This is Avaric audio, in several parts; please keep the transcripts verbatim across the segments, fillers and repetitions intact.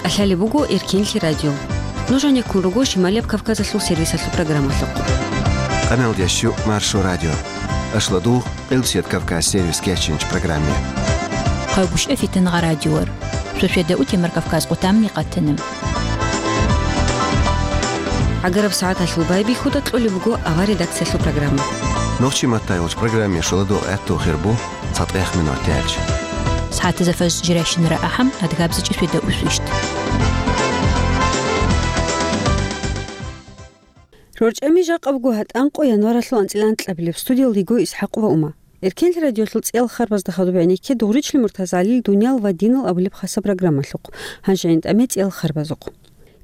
КӀалъалеб буго Эркенлъи радио. Нуж гьанеккун руго Шималияб Кавказалъул сервисалъул программалъухъ. Къаналдящу Маршо радио. Ашладугъ, Къилбсият Кавказ сервис кечинч программе. Хъайбушев Фитангъа радиор. Шошведа утемар Кавказ къутамни къатанам. ГӀагараб сагӀаталъул байбихьуда кьолеб буго авар редакциялъул программа. Нохчи маттайолч программе шоладо гӀатту хирбу цатӀех минутиялч. СагӀатаза фаж жиращинара ахӀам, адгабзичӀи шведа усвищт. РорчӀами жакъа буго гьатӀанкъо январалъул анцӀила анкьабилеб, студиялдиго ИсхӀакъ ва Ума. Эркенлъи радиолъул цӀиял харбазда хадуб гӀенекке Дугъричлъи МуртазгӀалил «Дуниял ва динал» абулеб хасаб программалъухъ. Гьанже гӀинтӀаме цӀиял харбазухъ.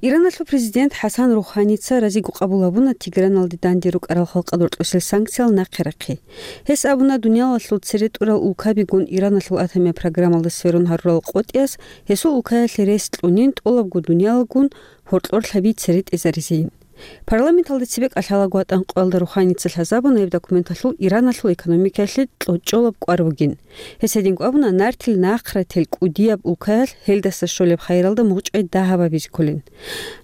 Иран-, Иран-, Иранасул президент ХӀасан РухӀаница разиго къабул гьабуна Тегераналде данде рукӀарал халкъалда рокьусел санкциял нахъе рахъи. Гьес абуна, дуниялалъул цере тӀурал улкабигун Ираналъул атомияб программалда сверун гьарурал къотӀиялъ гьесул улкаялъе рес кьунин, тӀолабго дуниялалгун гьоркьорлъаби цере тӀезаризейин. Парламенталда цебе кӀалъалаго гьатӀанкъоялда РухӀаница лъазабуна гьеб документалъул Ираналъул экономикаялъе кьочӀолаб кӀвар бугин. Гьес гьединго абуна, нартил нахърател кӀудияб улкаялъ гьелдаса щолеб хайралда мугъчӀвай дагьаб гьабизе кколин.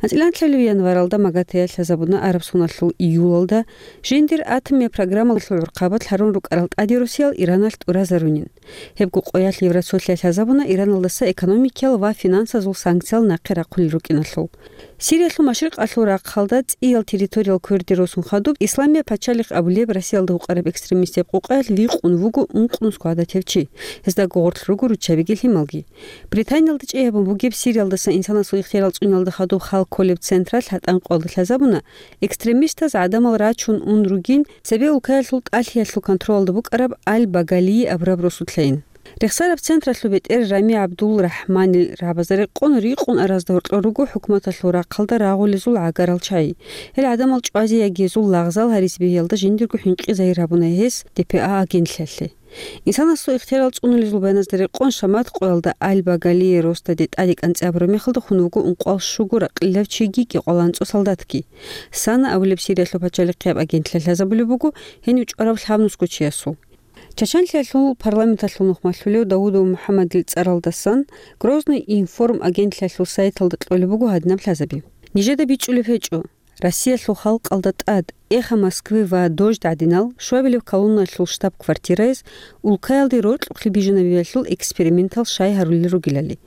АнцӀила анкьабилеб январалда МАГАТЭ-ялъ лъазабуна, арабсуналъул июлалда жиндир атомияб программалъул гӀурхъабалъ гьарун рукӀарал тӀаде росиял Ираналъ тӀуразарунин. Гьебго къоялъ Евросоюзалъ лъазабуна Ираналдаса экономикиял ва финансазул санкциял нахъе рахъулел рукӀиналъул. Сириялъул машрикъалъул рахъалда цӀиял территориял кверде росун хадуб, Исламияб пачалихъ абулеб Россиялда гьукъараб экстремистияб къукъаялъ викъун вуго ункънусго гӀадатев чи. Гьезда гугъурлъ руго руччабиги лъималги. Британиялда чӀей гьабун бугеб Сириялдаса инсанасул ихтиярал цӀуниялда хадуб хал кколеб централъ гьатӀанкъоялда лъазабуна, экстремистаз гӀадамал рачун ун ругин, цебе улкаялъул тӀалъиялъул контролалда букӀараб Аль-Багалии абураб росулъайин. Рехсараб централъул бетӀер Рами ГӀабдул-РахӀманил рагӀабазда рекъон рикъун аразда гьоркьор руго хӀукуматалъул рахъалда рагъулезул гӀагарал чагӀи. Гьел гӀадамал чӀвазе яги гьезул лагъзал гьаризе бегьиялда жиндирго хӀинкъи загьир гьабуна гьес ДПА агентлъиялъе. Инсанасул ихтиярал цӀунулезул баяназда рекъон, шамат къоялда Аль-Багалие росдаде тӀаде кӀанцӀи абураб мехалда хун вуго ункъоялъ щуго ракьилав чиги кӀикъоялда анцӀго солдатги. Сана абулеб Сириялъул пачалихъияб агентлъиялъ лъазабулеб буго гьенив чӀварав лъабнусго чиясул. Чачанлъиялъул парламенталъул нухмалъулев Даудов МухӀаммадил цӀаралдасан Грозный информ агентлъиялъул сайталда кьолеб буго гьадинаб лъазаби. Нижеда бичӀчӀулеб гьечӀо, Россиялъул халкъалда тӀад, Эхо Москвы ва Дождь гӀадинал, щуабилеб колонналъул штаб-квартираяз улкаялде рокьухълъи бижунабиялъул экспериментал щай гьарулел ругелали.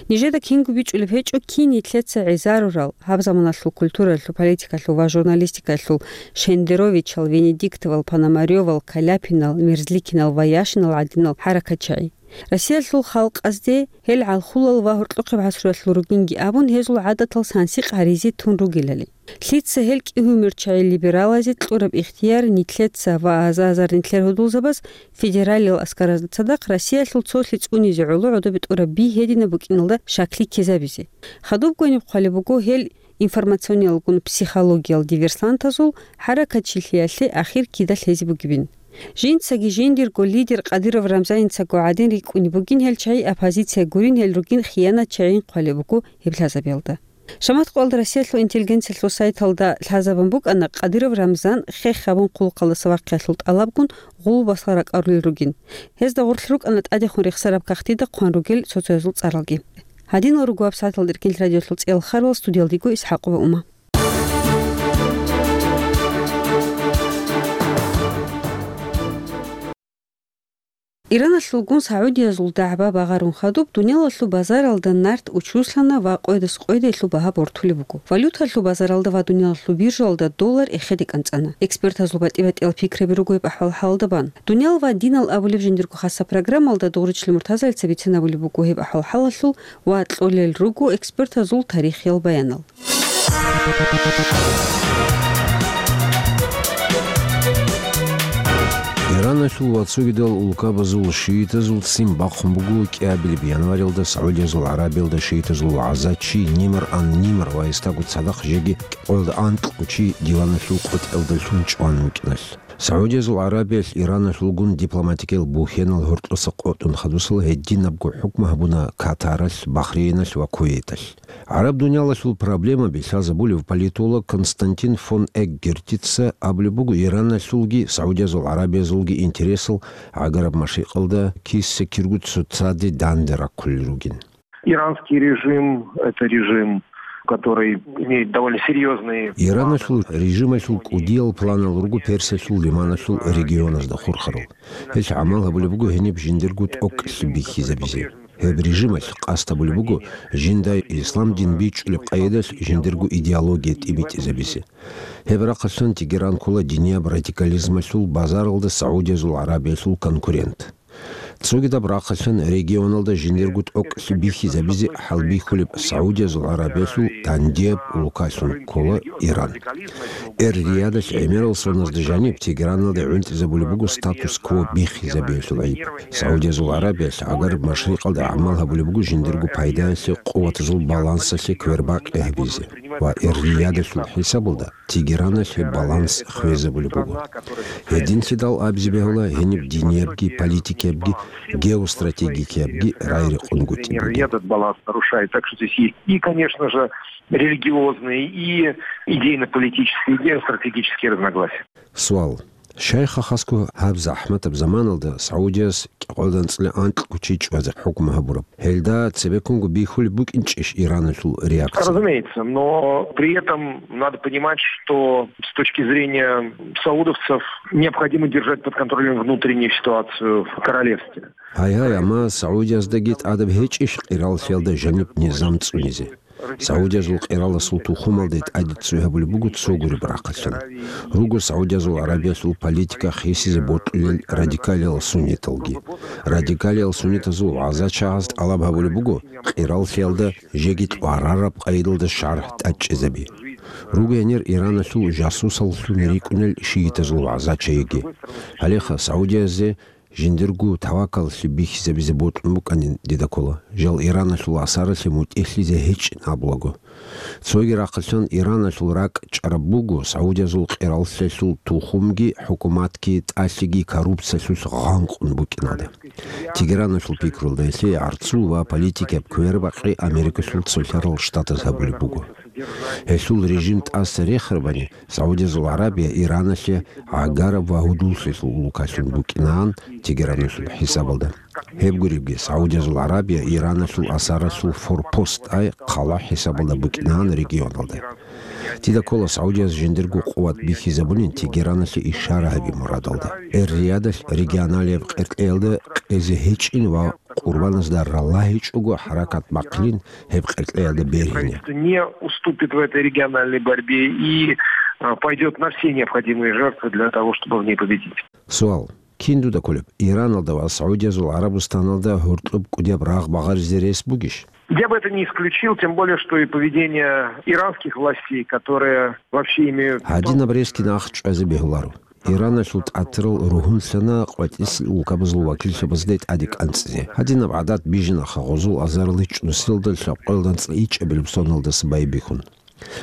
Нижеда кинго бичӀчӀулеб гьечӀо, кин нилъеца гӀезарурал, гьаб заманалъул культуралъул, политикалъул ва журналистикалъул Шендеровичал, Венедиктовал, Пономарёвал, Каляпинал, Мерзликинал ва Яшинал гӀадинал хӀаракатчагӀи. Россиялъул халкъазде гьел гӀалхулал ва гьоркьохъеб гӀасруялъул ругинги абун, гьезул гӀадатал сансикъ гьаризе тун ругелали. Лъица гьел кӀигьумерчагӀи либералазе кьураб ихтияр нилъеца ва аза-азар нилъер гьудулзабаз федералиял аскаразда цадахъ Россиялъул цолъи цӀунизе гӀоло гӀодобе тӀураб би гьединаб букӀиналда шаклъи ккезабизе. Хадубго гьениб хъвалеб буго гьел информациониялгун психологиял диверсантазул хӀаракатчилъиялъе ахир кида лъезе бугебин. Жинцаги жиндирго лидер Кадыров Рамзанницаго гӀадин рикӀкӀунеб бугин гьел чагӀи, оппозиция гурин гьел ругин хиянатчагӀин хъвалеб буго гьеб лъазабиялда. Шамат къоялда Россиялъул интеллигенциялъул сайталда лъазабун букӀана Кадыров Рамзан хех гьабун хъулухъалдаса вахъиялъул тӀалабгун гъулбасал ракӀарулел ругин. Гьезда гъорлъ рукӀана тӀадехун рехсараб кагътида хъван ругел соцоязул цӀаралги. Гьадинал руго гьаб сагӀаталда Эркенлъи радиолъул цӀиял харбал, студиялдего ИсхӀакъова Ума. Ираналъулгун Саудиязул дагӀба багъарун хадуб, дуниялалъул базаралда нарт учуслъана ва къойдас къойде гьелъул багьа бортулеб буго. Валюталъул базаралда ва дуниялалъул биржалда доллар эхеде кӀанцӀана. Экспертазул батӀи-батӀиял пикраби руго гьеб ахӀвал-хӀалалда бан. «Дуниял ва динал» абулеб жиндирго хасаб программалда Дугъричлъи МуртазгӀалица бицен абулеб буго гьеб ахӀвал-хӀалалъул ва кьолел руго экспертазул тарихиял баянал. Ираналъул ва цогидал улкабазул шиитазул ццин бахъун буго кӀиабилеб январилда Саудиязул ГӀарабиялда шиитазул вагӀзачи Нимр ан-Нимр ва гьесдаго цадахъ жеги кӀикъоялда анкьго чи диваналъул къотӀиялдалъун чӀван вукӀиналъ. Саудиязул ГӀарабиялъ Ираналъулгун дипломатикиял бухьенал гьоркьоса къотӀун хадусал гьединабго хӀукму гьабуна Катаралъ, Бахрейналъ ва Кувейталъ. ГӀараб дуниялалъул проблемаби лъазабулев политолог Константин фон Эггертица абулеб буго, Ираналъулги Саудиязул ГӀарабиязулги интересал гӀагараб машрикъалда киса-киргу цоцаде данде раккулел ругин. Иранский режим — это режим, который имеет довольно серьезные... Иранасул режималъул кӀудиял планал руго Персиялъул лиманалъул регионазда хурхарал. Гьелъ гӀамал гьабулеб буго гьениб жиндирго тӀокӀлъи бихьизабизе. Гьеб режималъ къасд гьабулеб буго жинда ислам дин бичӀчӀулеб къайдалъ жиндирго идеология тӀибитӀизабизе. Гьеб рахъалъан Тегеран ккола динияб радикализмалъул базаралда Саудиязул ГӀарабиялъул конкурент. Цогидаб рахъалъан регионалда жиндирго тӀокӀлъи бихьизабизе хӀалбихьулеб Саудиязул ГӀарабиялъул дандияб улкалъун ккола Иран. Эр-Риядалъ гӀемерал соназда жаниб Тегераналде гӀунтӀизабулеб буго статус-кво биххизабиялъул гӀайиб. Саудиязул ГӀарабиялъ гӀагараб машрикъалда гӀамал гьабулеб буго жиндирго пайдаялъе, къуватазул балансалъе квербакъи гьабизе ва Эр-Риядалъул хӀисабалда Тегераналъе баланс хвезабулеб буго. Гьединлъидал абизе бегьула гьениб диниябги, политикиябги, геостратегикиябги рай-рекъон гутӀи бугеб. Этот баланс нарушает. Так что здесь есть и, конечно же, религиозные, и идейно-политические, и геостратегические разногласия. Суал. Шайх Хаску гьаб захӀматаб заманалда Саудияс кӀикъоялда анцӀила анкьго чи чӀвазе хӀукму гьабураб. Гьелда цебеккунго бихьулеб букӀинчӀищ Ираналъул реакция? Разумеется, но при этом надо понимать, что с точки зрения саудовцев необходимо держать под контролем внутреннюю ситуацию в королевстве. Гьай-гьай, амма Саудияздаги тӀадаб гьечӀищ къираллъиялда жаниб низам цӀунизе? Саудиязул къираласул тухумалде тӀаде цой гьабулеб буго цо гуреб рахъалъан. Руго Саудиязул ГӀарабиялъул политика хисизе бокьулел радикалиял сунниталги. Радикалиял суннитазул вагӀзачагӀаз тӀалаб гьабулеб буго къираллъиялда жеги тӀварараб къайдалда шаргӀ тӀадчӀезаби. Руго гьенир Ираналъул жасусаллъун рикӀкӀунел шиитазул вагӀзачаяги. Гьалеха Саудиязе жиндирго тавакаллъи бихьизабизе бокьун букӀанин дида ккола. Жал Ираналъул асаралъе мутӀигьлъизе гьечӀин абулаго. Цоги рахъалъан Ираналъул ракӀ чӀараб буго Саудиязул къираллъиялъул тухумги, хӀукуматги, тӀалъиги коррупциялъулъ гъанкъун букӀиналда. Тегераналъул пикрулда гьелъие гӀарцул ва политикияб квербакъи Америкалъул цолъарал штатаз гьабулеб буго. Гьелъул режим тӀаса рехарабани, Саудиязул ГӀарабия Ираналъе гӀагараб ва гьудуллъилъул улкалъун букӀинаан Тегераналъул хӀисабалда. Гьеб гуребги, Саудиязул ГӀарабия Ираналъул асаралъул форпост, ай хъала хӀисабалда букӀинаан регионалда. Дида ккола Саудияз жиндирго къуват бихьизабунин Тегераналъе ишара гьаби мурадалда. Эр-Риядалъ регионалияб къеркьеялда къезе гьечӀин ва Къурбаназда ралагьичӀого хӀаракат бахъилин гьеб къеркьеялда бергьине. Правительство не уступит в этой региональной борьбе и, а, пойдёт на все необходимые жертвы для того, чтобы в ней победить. Суал. Кин дуда кколеб, Ираналда ва Саудиязул ГӀарабустаналда гьоркьоб кӀудияб рагъ багъаризе рес бугищ? Я бы это не исключил, тем более, что и поведение иранских властей, которые вообще имеют... Гьадинаб ресги нахъ чӀвазе бегьуларо. Ираналъул тӀатирал ругьунлъана къватӀисел улкабазул вакиллъабазде тӀаде кӀанцӀизе. Гьадинаб гӀадат бижинаха гъозул азарилъ чӀусиялда лъабкъоялда анцӀила ичӀабилеб соналдаса байбихьун.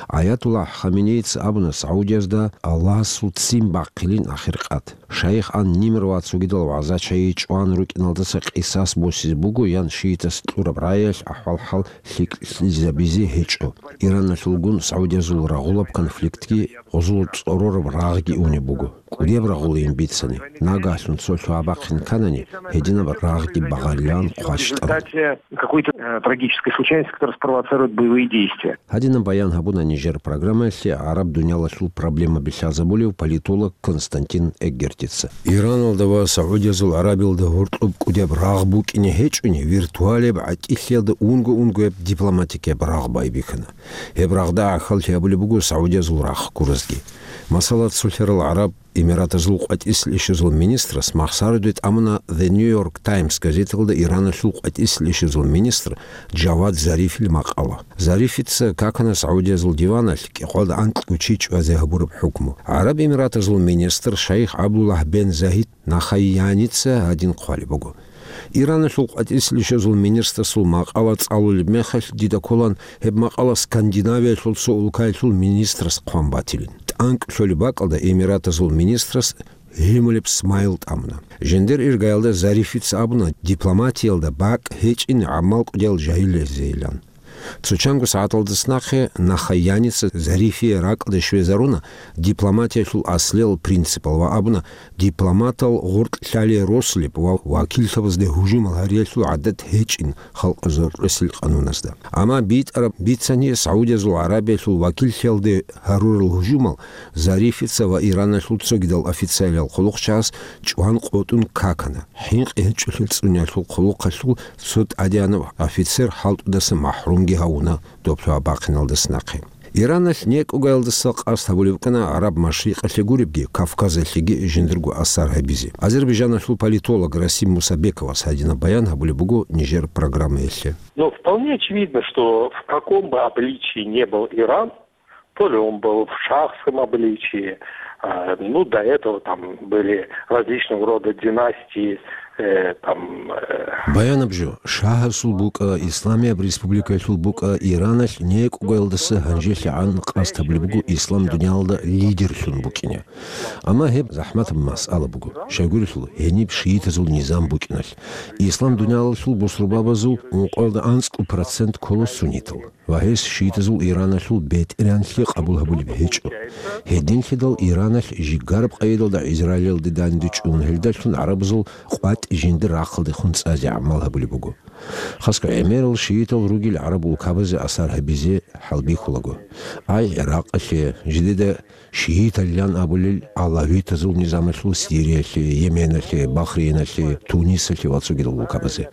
Аятуллагь Хаменеица абуна Саудиязда Аллагьасул ццин бахъилин ахиркъат. Шайх ан-Нимр ва цогидал вагӀзачаяй чӀван рукӀиналдаса къисас босизе буго ян шиитас кьураб рагӀиялъ ахӀвал-хӀал лъикӀлъизабизе гьечӀо. Ираналъулгун Саудиязул рагъулаб конфликтги гъозул цӀорораб рагъги унеб буго. КӀудияб рагъулин бицани, нагагьлъун цо лъугьа бахъин кканани, гьединаб рагъги багъарилан хъващтӀан. В результате какой-то, э, трагической случайности, которая спровоцирует боевые действия. Гьадинаб баян гьабуна нижер программаялъе гӀараб дуниялалъул проблемаби лъазабулев политолог Константин Эггертица. Ираналда ва Саудиязул ГӀарабиялда гьоркьоб кӀудияб рагъ букӀине гьечӀони, виртуалияб гӀатӀилъиялда унго-унгояб дипломатикияб рагъ байбихьана. Гьеб рагъда гӀахьаллъи гьабулеб буго Саудиязул рахъ гуразги. Масала, цолъарал гӀараб Эмиратазул къватӀисел ишазул министрас махсараде тӀамуна The New York Times газеталда Ираналъул къватӀисел ишазул министр Джавад Зарифил макъала. Зарифица какана Саудиязул диваналъ кӀикъоялда анкьго чи чӀвазе гьабураб хӀукму. ГӀараб Эмиратазул министр шайх ГӀабдуллагь бен Загьид Нахаяница гьадин хъвалеб буго. Ираналъул къватӀисел ишазул министрасул макъала цӀалулеб мехалъ дида кколан гьеб макъала Скандинавиялъул цо улкаялъул министрас хъван батилин. ТӀанкӀ лъолеб бакӀалда Эмиратазул министрас гьимулеб смайл тӀамуна. Жиндир иргаялда Зарифица абуна дипломатиялда бакӀ гьечӀин гӀамал кӀудиял жагьиллъизейилан. Цо чанго сагӀаталдаса нахъе Нахаяница Зарифия ракӀалде щвезаруна дипломатиялъул аслиял принципал ва абуна, дипломатал гъоркь лъалие росулеб ва вакиллъабазде гьужумал гьариялъул гӀадат гьечӀин халкъ гьоркьосел къануназда. Амма битӀараб бицани, Саудиязул ГӀарабиялъул вакиллъиялде гьарурал гьужумал Зарифица ва Ираналъул цогидал официалиял хъулухъчагӀаз чӀван къотӀун какана, хӀинкъи гьечӀолъи цӀуниялъул хъулухъалъул цо тӀадегӀанав офицер хӀалтӀудаса махӀрумги гьавуна доб лъугьа-бахъиналдаса нахъе. Ираналъ некӀугаялдаса къасд гьабулеб букӀана ГӀараб Машрикъалъе гуребги, Кавказалъеги жиндирго асар гьабизе. Азербайжаналъул политолог Расим Мусабековас гьадинаб баян гьабулеб буго нижер программаялъе. Но вполне очевидно, что в каком бы обличии не был Иран, то ли он был в шахском обличии, а, ну, до этого там были различного рода династии, э, там, э, Баянаб жо, шагьасул букӀа, исламияб республикаялъул букӀа, Ираналъ некӀугаялдаса гьанжелъагӀан къасд гьабулеб буго ислам дуниялалда лидерлъун букӀине. Амма гьеб захӀматаб масъала буго. Щайгурелъул, гьениб шиитазул низам букӀиналъ, ислам дуниялалъул бусурбабазул ункъоялда анцӀкӀул процент ккола суннитал. Ва гьес шиитазул Ираналъул бетӀергьанлъи къабул гьабулеб гьечӀо. Гьединлъидал Ираналъ жигараб къайдалда Израилалде данде чӀун, гьелдалъун гӀарабазул къватӀ жиндир рахъалдехун цӀазе гӀамал гьабулеб буго. Хасго гӀемерал шиитал ругел гӀараб улкабазе асар гьабизе хӀалбихьулаго. Ай ГӀиракъалъе, жидеда шииталилан абулел алавитазул низамалъул Сириялъе, Йеменалъе, Бахрейналъе, Тунисалъе ва цогидал улкабазе.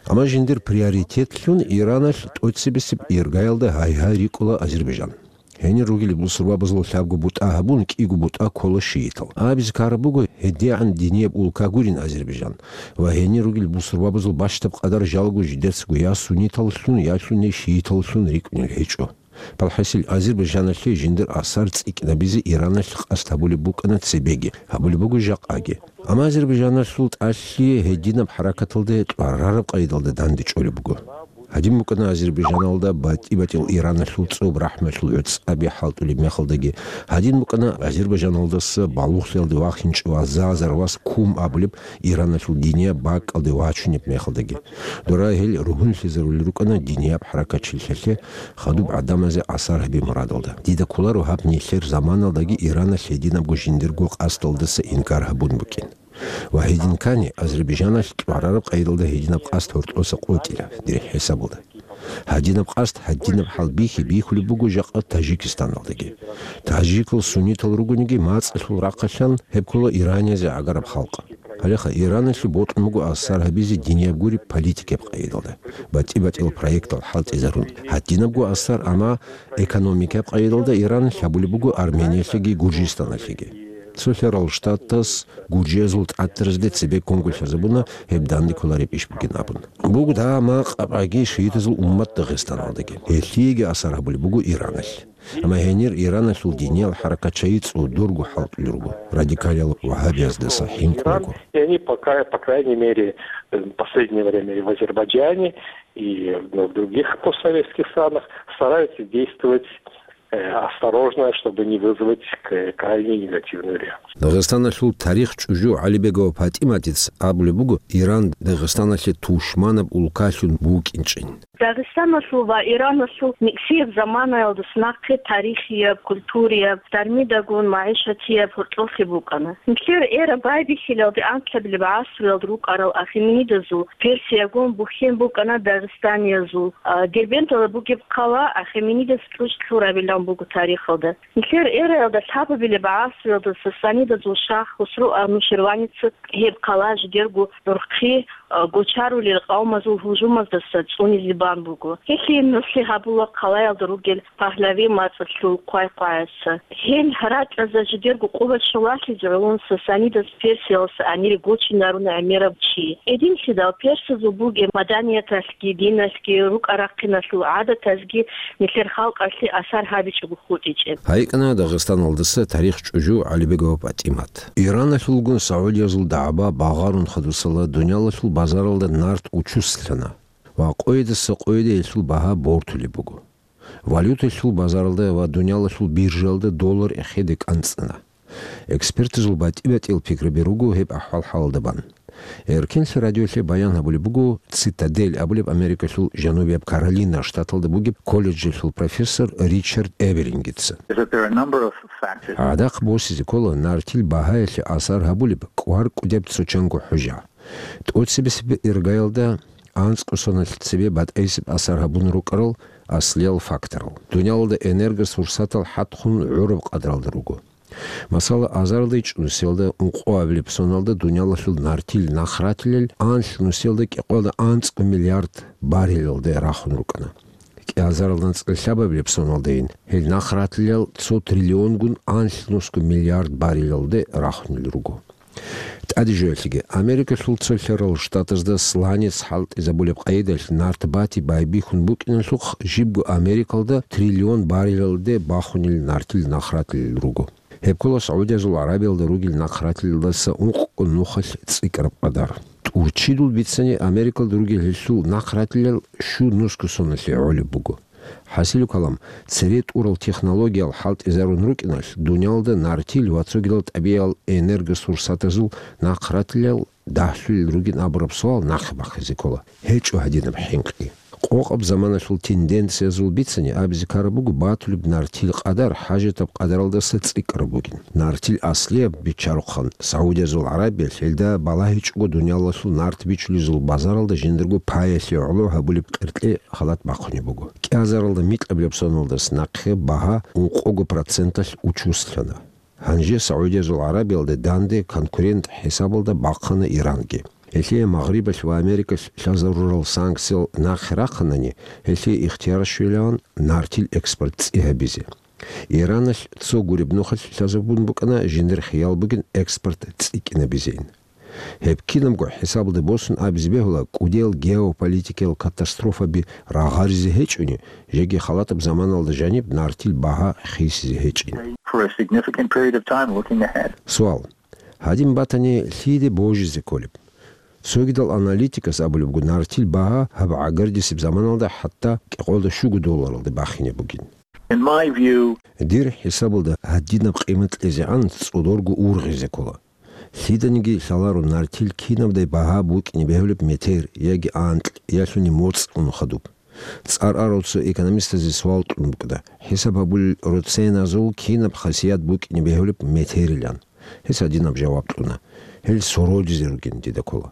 Амма жиндир приоритетлъун Ираналъ тӀоцебесеб иргаялда гьай-гьай рикӀкӀула Азербайжан. Гьенир ругел бусурбабазул лъабго бутӀа гьабун, кӀиго бутӀа ккола шиитал. Абизе ккараб буго, гьедигӀан динияб улка гурин Азербайжан, ва гьенир ругел бусурбабазул бащдаб къадар жалго жидецаго я сунниталлъун, я лъуни шииталлъун рикӀкӀунел гьечӀо. ПалхӀасил Азербайжаналъе жиндир асар цӀикӀкӀинабизе Ираналъ къасд гьабулеб букӀана цебеги, гьабулеб буго жакъаги. Амма Азербайжаналъул тӀалъи гьединаб хӀаракаталде тӀварараб къайдалда данде чӀолеб буго. Гьадин букӀана Азербайжаналда батӀи-батӀиял Ираналъул цӀоб рахӀмалъул гӀуцӀаби хӀалтӀулеб мехалдаги, гьадин букӀана Азербайжаналдаса балугълъиялде вахинчӀев Азазар вас Кум абулеб Ираналъул динияб бакӀалде вачунеб мехалдаги. Дора гьел ругьунлъизарулел рукӀана динияб хӀаракатчилъиялъе хадуб гӀадамазе асар гьаби мурадалда. Дида кколаро гьаб нилъер заманалдаги Ираналъ гьединабго жиндирго къасдалдаса инкар гьабун букӀин. Ва гьедин ккани, Азербайжаналъ тӀварараб къайдалда гьединаб къасд гьоркьоса къотӀила, дир хӀисабалда. Гьадинаб къасд, гьадинаб хӀал бихьи бихьулеб буго жакъа Таджикистаналдаги. Таджикал суннитал ругониги, мацӀалъул рахъалъан гьеб ккола Ираниязде гӀагараб халкъ. Гьалеха Ираналъе бокьун буго асар гьабизе динияб гуреб политикияб къайдалда, батӀи-батӀиял проектал хӀалтӀизарун. Гьадинабго асар, амма экономикияб къайдалда Ираналъ гьабулеб буго Армениялъеги Гуржистаналъеги. Цо лъарал штатас гуржиязул тӀатаразде цебе ккунго лъазабуна гьеб данде кколареб иш бугин абун. Буго дагьа макъабгӀаги шиитазул уммат Дагъистаналдаги. Гьелъиеги асар гьабулеб буго Ираналъ. Амма гьенир Ираналъул диниял хӀаракатчагӀи цӀодорго хӀалтӀулел руго, радикалиял вагьабияздаса хӀинкъулаго. И они пока, по крайней мере, в последнее время и в Азербайджане, и в других постсоветских странах стараются действовать, э, осторожно, чтобы не вызвать к-, крайне негативную реакцию. Дагъистаналъул тарих чӀужу ГӀалибегова ПатӀиматица абулеб буго, Иран Дагъистаналъе тушманаб улкалъун букӀинчӀин. Дагъистаналъул ва Ираналъул никсияб заманаялдаса нахъе тарихияб, культурияб, дармидагун магӀишатияб гьоркьохъе букӀана. Нилъер эра байбихьилалде анлъабилеб гӀасруялда рукӀарал ахеменидазул Персиягун бухьен букӀана дагъистаниязул, а, Дербенталда бугеб хъала ахеменидас кьучӀ лъурабилан буго тарихалда. Нилъер эраялда лъабабилеб гӀасруялда сасанидазул шагь Хусру Ануширваница гьеб хъала жидерго нурхъи, а, гочарулел къавмазул гьужумаздаса цӀунизе бан буго. Гьелъие нугӀлъи гьабула хъалаялда ругел Пагьлави мацӀалъул хъвай-хъваяса. Гьел ракьазда жидерго къуват щолалъизе гӀоло сасанидас Персиялъа амир гочинаруна гӀемерав чи. Гьединлъидал персазул бугеб маданияталъги, диналъги, рукӀа-рахъиналъул гӀадатазги нилъер халкъалъе асар гьабичӀого хутӀичӀеб. ГьайикӀана Дагъистаналдаса тарих чӀужу ГӀалибегова ПатӀимат. Ираналъулгун Саудиязул дагӀба багъарун хадусала дуниялалъул базаралда нарт учуслъана ва къойидаса къойиде гьелъул багьа бортулеб буго. Валюталъул базаралда ва дуниялалъул биржаялда доллар эхеде кӀанцӀана. Экспертазул батӀи-батӀиял пикраби руго гьеб ахӀвал-хӀалалда бан. Эркенлъи радиолъе баян гьабулеб буго «Цитадель» абулеб Америкалъул Жанубияб Каролина штаталда бугеб колледжалъул профессор Ричард Эберингица. Is that there are a number of factors. ГӀадахъ босизе ккола нартил багьаялъе асар гьабулеб кӀвар-кӀудияб цо-чанго хӀужа. ТӀоцебесеб иргаялда анцӀго соналъ цебе батӀайсеб асар гьабун рукӀарал аслиял факторал. Дуниялалда энергосурсатал хӀатхун гӀураб къадралда руго. Масала, азарилда ичӀнусиялда ункъоабилеб соналда дуниялалъул нартил нахратилел анлънусиялда кӀикъоялда анцӀго миллиард баррелалде рахун рукӀана. КӀиазаралда анцӀкӀ лъабабилеб соналдайин гьел нахратилел цо триллионгун анлънусго миллиард баррелалде рахунел руго. ТӀаде жоялъеги, Америкалъул цо лъарал штатазда сланец хӀалтӀизабулеб къайдалъ нарт бати байбихьун букӀиналъухъ, жибго Америкалда триллион баррелалде бахунел нартил нахратилел руго. Гьеб ккола СагӀудиязул ГӀарабиялда ругел нахратилелдаса ункъго нухалъ цӀикӀкӀараб къадар. ТӀурччидул бицани, Америкалда ругел гьелъул нахратилел щунусго соналъе гӀолеб буго. ХӀасилу калам, цере тӀурал технологиял хӀалтӀизарун рукӀиналъ, дуниялда нартил ва цогидал тӀабигӀиял энергосурсатазул нахратилел дагьлъулел ругин абураб суал нахъе бахъизе ккола. ГьечӀо гьадинаб хӀинкъи. Къокъаб заманалъул тенденциязул бицани абизе ккараб буго батулеб нартил къадар хӀажатаб къадаралдаса цӀикӀкӀараб бугин. Нартил аслияб биччарухъан, СагӀудиязул ГӀарабиялъ гьелда балагьичӀого дуниялалъул нарт бичулезул базаралда жиндарго паялъе гӀоло гьабулеб къеркье халат бахъунеб буго. КӀиазаралда микьабилеб соналдаса нахъе багьа ункъого проценталъ учуслъана. Гьанже СагӀудиязул ГӀарабиялда данде конкурент хӀисабалда бахъана Иранги. Гьелъие Магърибалъ ва Америкалъ лъазарурал санкциял нахъе рахъанани, гьелъие ихтияр щвелаван нартил экспорт цӀи гьабизе. Ираналъ цо гуреб нухалъ лъазабун букӀана жиндир хиял бугин экспорт цӀикӀкӀинабизейин. Гьеб кинабго хӀисабалда босун абизе бегьула, кӀудиял геополитикиял катастрофаби рагъаризе гьечӀони, жеги халатаб заманалда жаниб нартил багьа хисизе гьечӀин. For a significant period of time looking ahead. Суал. Гьадин батани, лъиде божизе кколеб? Цогидал аналитикас абулеб буго, нартил багьа гьаб гӀагардисеб заманалда хӀатта кӀикъоялда щуго долларалде бахине бугин. In my view, дир хӀисабалда гьадинаб къимат кьезегӀан цӀодорго ургъизе ккола. Лъиданиги лъаларо нартил кинабдай багьа букӀине бегьулеб метер яги анкь, ялъуни моцӀ унухъадуб. ЦӀар арал цо экономистазе суал кьун букӀана, хӀисаб гьабулел роценазул кинаб хасият букӀине бегьулеб метерилан. Гьес гьадинаб жаваб кьуна: гьел сородизе ругин дида ккола.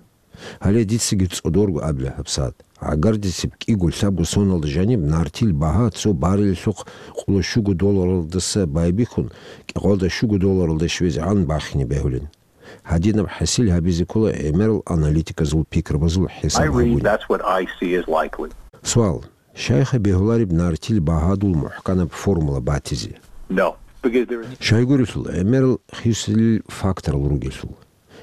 Гьале дицаги цӀодорго абила гьабсагӀат. ГӀагардисеб кӀиго-лъабго соналда жаниб нартил багьа цо баррелалъухъ къоло щуго долларалдаса байбихьун, кӀикъоялда щуго долларалде щвезегӀан бахине бегьулин. Гьадинаб хӀасил гьабизе ккола гӀемерал аналитиказул пикрабазул I хӀисаб read гьабуни. That's what I see is likely. Суал. Щайха бегьулареб нартил багьадул мухӀканаб формула батизе? No, because there is Щайгурелъул, гӀемерал хисилил факторал ругелъул.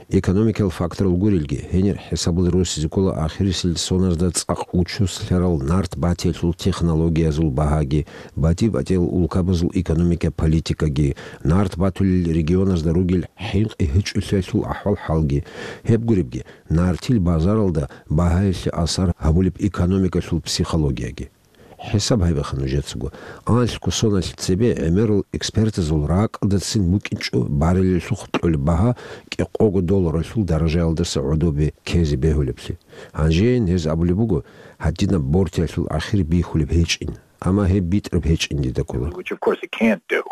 Экономикал факторал гурелги, гьенир хӀисабал росизе ккола ахирисел соназда цӀакъ учуслъарал нарт батиялъул технологиязул багьаги, батӀи-батӀиял улкабазул экономика политикаги, нарт батулел регионазда ругел хӀинкъи-гьечӀолъиялъул ахӀвал-хӀалги. Гьеб гуребги, нартил базаралда багьаялъе асар гьабулеб экономикалъул психологияги. ХӀисаб гьабиха нужецаго. Анлъго соналъ цебе гӀемерал экспертазул ракӀалдацин букӀинчӀо баррелалъухъ кьолеб багьа кӀикъого долларалъул даражаялдаса гӀодобе ккезе бегьулеблъи. Гьанжейин гьез абулеб буго, гьадинаб бортиялъул ахир бихьулеб гьечӀин, амма гьеб битӀараб гьечӀин дида ккола. Which, of course, it can't do.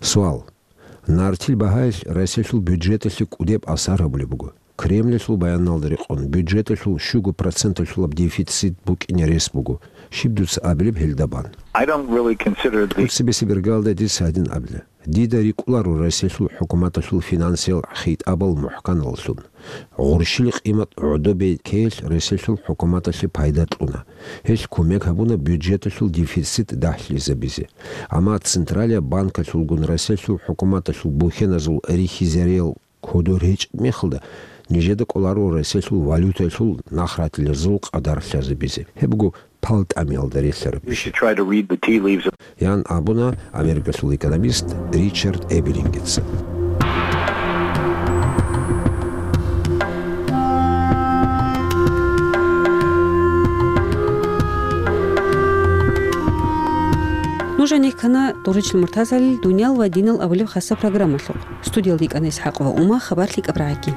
Суал. Нартил багьаялъ Россиялъул бюджеталъе кӀудеб асар гьабулеб буго. Кремльалъул баяналда рекъон, бюджеталъул щуго проценталъулаб дефицит букӀине рес буго. Щиб дуца абилеб гьелда бан? I don't really consider the ТӀоцебесеб иргаялда дица гьадин абила. Дида рикӀкӀунаро Россиялъул хӀукуматалъул финансиял хитӀабал мухӀканаллъун. Гъурщил къимат гӀодобе ккеялъ Россиялъул хӀукуматалъе пайда кьуна. Гьелъ кумек гьабуна бюджеталъул дефицит дагьлъизабизе. Амма Централияб банкалъулгун Россиялъул хӀукуматалъул бухьеназул рихьизариял кодор гьечӀеб мехалда, нижеда кӀоларо Россиялъул валютаялъул нахратилазул къадар лъазабизе. Гьеб буго пал тӀамиялда релълъараб иш. You should try to read the tea leaves. Ян абуна Америкалъул экономист Ричард Эберингица. Нуж гьанихъана Туричил Муртазалил «Дуниял ва динал» абулеб хасаб программалъухъ. Студиялда йикӀана ИсхӀакъова Ума, хабар лъикӀаб рагӀаги.